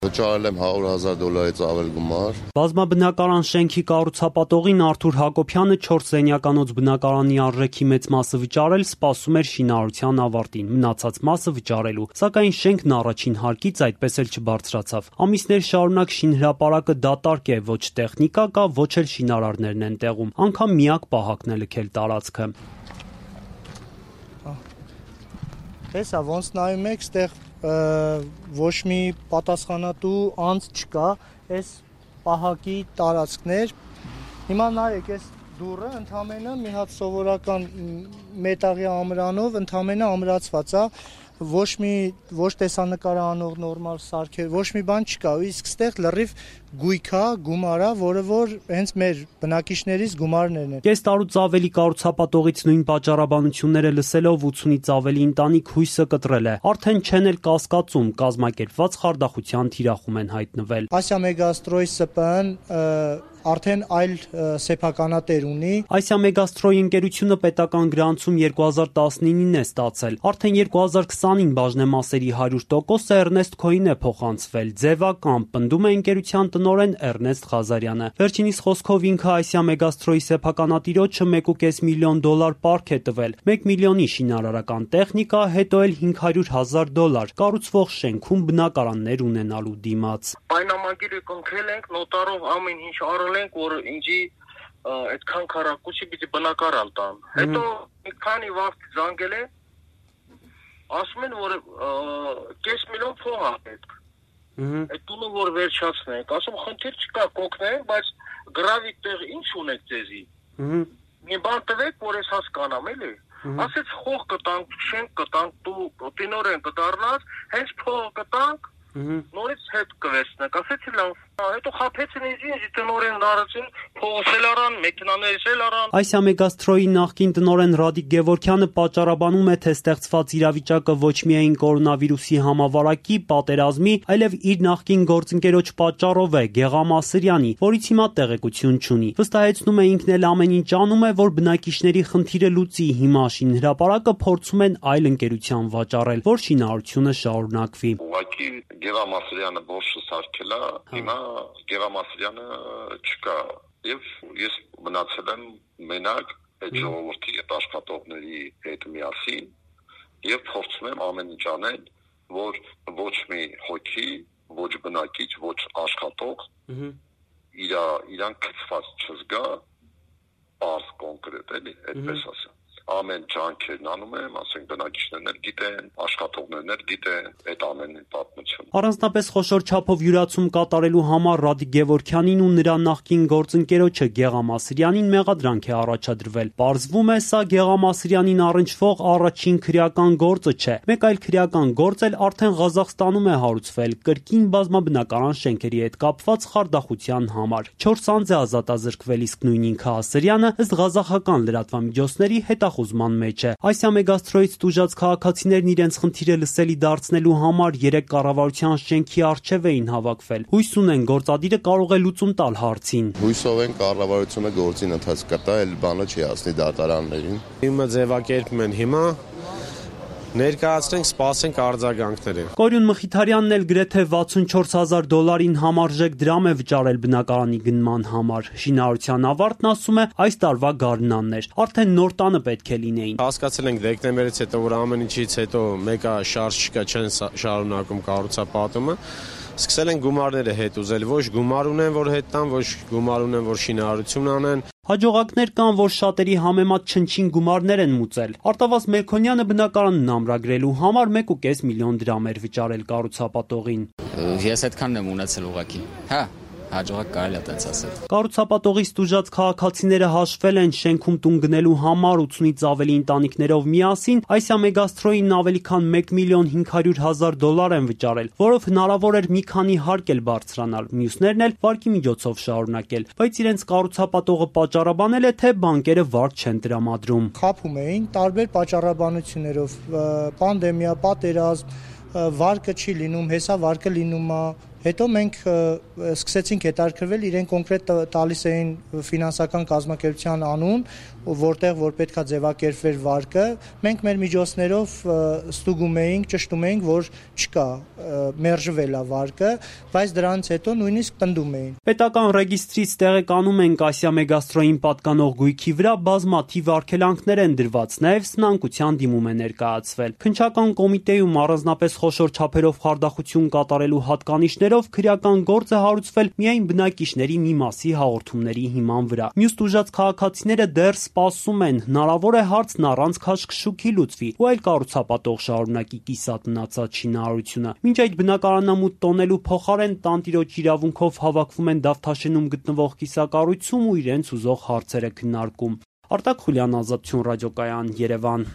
Վճարել եմ $100,000-ից ավել գումար։ Բազմաբնակարան շենքի կառուցապատողին Արթուր Հակոբյանը 4 սենյականոց բնակարանի արժեքի մեծ մասը վճարել սպասում էր շինարարության ավարտին, մնացած մասը վճարելու, սակայն շենքն առաջին հարկից այդպես էլ չբարձրացավ։ Ամիսներ շարունակ շինհրապարակը դատարկ է, ոչ տեխնիկա կա, ոչ էլ շինարարներն են տեղում, անգամ միակ պահակն է լքել տարածքը։ Տեսա, ոնց նայում եք, ստեղ ոչ մի պատասխանատու անձ չկա, այս պահակի տարածքներ։ Հիմա նայեք, այս դուռը ընդամենը մի հատ սովորական մետաղի ամրանով ընդամենը ամրացված է, ոչ տեսանկարանող նորմալ սարքեր, ոչ մի բան չկա, իսկ ստեղ լրիվ գույք է, գումար է, որը որ հենց մեր բնակիչներից գումարներն են։ Կես տարուց ավելի կառուցապատողից նույն պատճառաբանությունները լսելով 80-ից ավելի ընտանիք հույսը կտրել է, արդեն չեն էլ կասկածում, կազմակերպված խարդախության թիրախում են հայտնվել։ Ասիա Մեգաստրոյ ՍՊԸ-ն արդեն այլ սեփականատեր ունի։ Ասիա Մեգաստրոյի ընկերությունը պետական գրանցում 2019-ին է ստացել։ Արդեն 2020-ին բաժնեմասերի 100%-ը Էրնեստ Քոյին է փոխանցվել։ Ձևական, պնդում է ընկերության տնօրեն Էրնեստ Ղազարյանը։ Վերջինիս խոսքով ինքը Ասիա Մեգաստրոյի սեփականատիրոջը $1.5 միլիոն պարկ է տվել, 1 միլիոնի շինարարական տեխնիկա, հետո էլ $500,000 կառուցվող շենքում բնակարաններ ունենալու դիմաց։ Պայմանագիրը կնքել ենք, նոտարով ամեն ինչ արել ենք, որ ինձի այդքան քառակուսի պիտի բնակարան տան։ Հետո մի քանի վաղ զանգել է, ասում են, որ կես միլիոն փող է պետք։ Այդ տունը որ վերջացնենք, ասում խնդիր չկա, կօգնենք, բայց գրավի տեղ ինչ ունեք ձեզի։ Մի բան տվեք, որ ես հասկանամ, էլի։ Ասեց խող կտանք, շենք կտանք, դու տնօրեն կդառնաս, հենց փող կտանք, նորից հետ կվերցնենք, ասեցի լավ։ Հետո խաբեցին ինձ տնօրեն դարձին, փողոցել առան, մեքենաներից էլ առան։ Ասիա Մեգաստրոյի նախկին տնօրեն Ռադիկ Գևորգյանը պատճառաբանում է, թե ստեղծված իրավիճակը ոչ միայն կորոնավիրուսի համավարակի, պատերազմի, այլև իր նախկին գործընկերոջ պատճառով է Գեղամասրյանի, որից հիմա տեղեկություն չունի։ Վստահեցնում է ինքն էլ ամեն ինչ անում է, որ բնակիչների խնդիրը լուծի, հիմա շինհրապարակը փորձում են այլ ընկերության վաճառել, որ շինարարությունը շարունակվի։ Ուղղակի Գեղամասրյանը բոշը սարքել է, հիմա Գեղամասրյանը չկա, եւ ես մնացել եմ մենակ այդ ժողովրդի այդ աշխատողների հետ միասին եւ փորձում եմ ամեն ինչ անել, որ ոչ մի հոգի, ոչ բնակիչ, ոչ աշխատող իրան քծված չզգա, բարձ կոնկրետ էլի, այդպես ասեմ։ Ամեն ջանքերն անում եմ, ասենք բնակիչներն էլ գիտեն, աշխատողներն էլ գիտեն այդ ամենի պատմությունը։ Առանձնապես խոշոր չափով յուրացում կատարելու համար Ռադիկ Գևորգյանին ու նրա նախկին գործընկերոջը Գեղամասրյանին մեղադրանք է առաջադրվել։ Պարզվում է, սա Գեղամասրյանին առնչվող առաջին քրեական գործը չէ։ Մեկ այլ քրեական գործ էլ արդեն Ղազախստանում է հարուցվել կրկին բազմաբնակարան շենքերի հետ կապված խարդախության համար։ 4 անձ է ազատազրկվել, իսկ նույն ինքը Ասրյանը ըստ ղազախական լրատվամիջոցների հետախուզման մեջ է։ Ասիա Մեգաստրոյից տուժած քաղաքացիներն իրենց խնդիրը լսելի դարձնելու համար 3 կառավարության շենքի առջև էին հավաքվել։ Հույս ունեն գործադիրը կարող է լուծում տալ հարցին։ Հույսով են կառավարությունը գործին ընթաց կտա, այլ բանը չի հասնի դատարաններին։ Իմը ձևակերպում են հիմա ներկայացնենք, սպասենք արձագանքները։ Կորյուն Մխիթարյանն էլ գրեթե $64,000 համարժեք դրամ է վճարել բնակարանի գնման համար։ Շինարարության ավարտն, ասում է, այս տարվա գարնանն էր։ Արդեն նոր տանը պետք է լինեին։ Հասկացել ենք դեկտեմբերից հետո, որ ամեն ինչից հետո մեկը շարժ չկա, չեն շարունակում կառուցապատումը։ Սկսել են գումարները հետ ուզել, ոչ գումար ունեն, որ հետ տան, ոչ գումար ունեն, որ շինարարություն անեն։ Հաջողակներ կան, որ շատերի համեմատ չնչին գումարներ են մուծել։ Արտավազ Մելքոնյանը բնակարանն ամրագրելու համար $1.5 միլիոն էր վճարել կառուցապատողին։ Ես այդքանն եմ ունեցել ուղղակի։ Հա, հաջողակ կարելի է տենց ասել։ Կառուցապատողից տուժած քաղաքացիները հաշվել են շենքում տուն գնելու համար 80-ից ավելի ընտանիքներով միասին Ասիա Մեգաստրոյին ավելի քան $1.5 միլիոն են վճարել, որով հնարավոր էր մի քանի հարկ էլ բարձրանալ, մյուսներն էլ վարկի միջոցով շարունակել, բայց իրենց կառուցապատողը պատճառաբանել է, թե բանկերը վարկ չեն տրամադրում։ Խաբում էին տարբեր պատճառաբանություններով, պանդեմիա, պատերազմ, վարկը չի լինում, հեսա վարկը լինում է, Հետո մենք սկսեցինք հետաքրքրվել, իրեն կոնկրետ տալիս էին ֆինանսական կազմակերպության անուն, որտեղ որ պետքա ձևակերպվեր վարկը, մենք մեր միջոցներով ստուգում էինք, ճշտում էինք, որ չկա, մերժվել է վարկը, բայց դրանից հետո նույնիսկ պնդում էին։ Պետական ռեգիստրից տեղեկանում ենք Ասիա Մեգաստրոյին պատկանող գույքի վրա բազմաթիվ արգելանքներ են դրված, նաև սնանկության դիմում է ներկայացվել։ Քննչական կոմիտեում առանձնապես խոշոր չափերով խարդախություն կատարելու հատկանիշներով քրեական գործ է հարուցվել միայն բնակիչների մի մասի հաղորդումների հիման վրա։ Մյուս տուժած քաղաքացիները դեռ սպասում են, հնարավոր է հարցն առանց քաշքշուկի լուծվի, ու այլ կառուցապատող շարունակի կիսատ մնացած շինարարությունը։ Մինչ այդ բնակարանամուտ տոնելու փոխարեն տանտիրոջ իրավունքով հավաքվում են Դավթաշենում գտնվող կիսակառույցում ու իրենց ուզող հարցերը քննարկում։ Արտակ Խուլյան, Ազատություն ռադիոկայան, Երևան։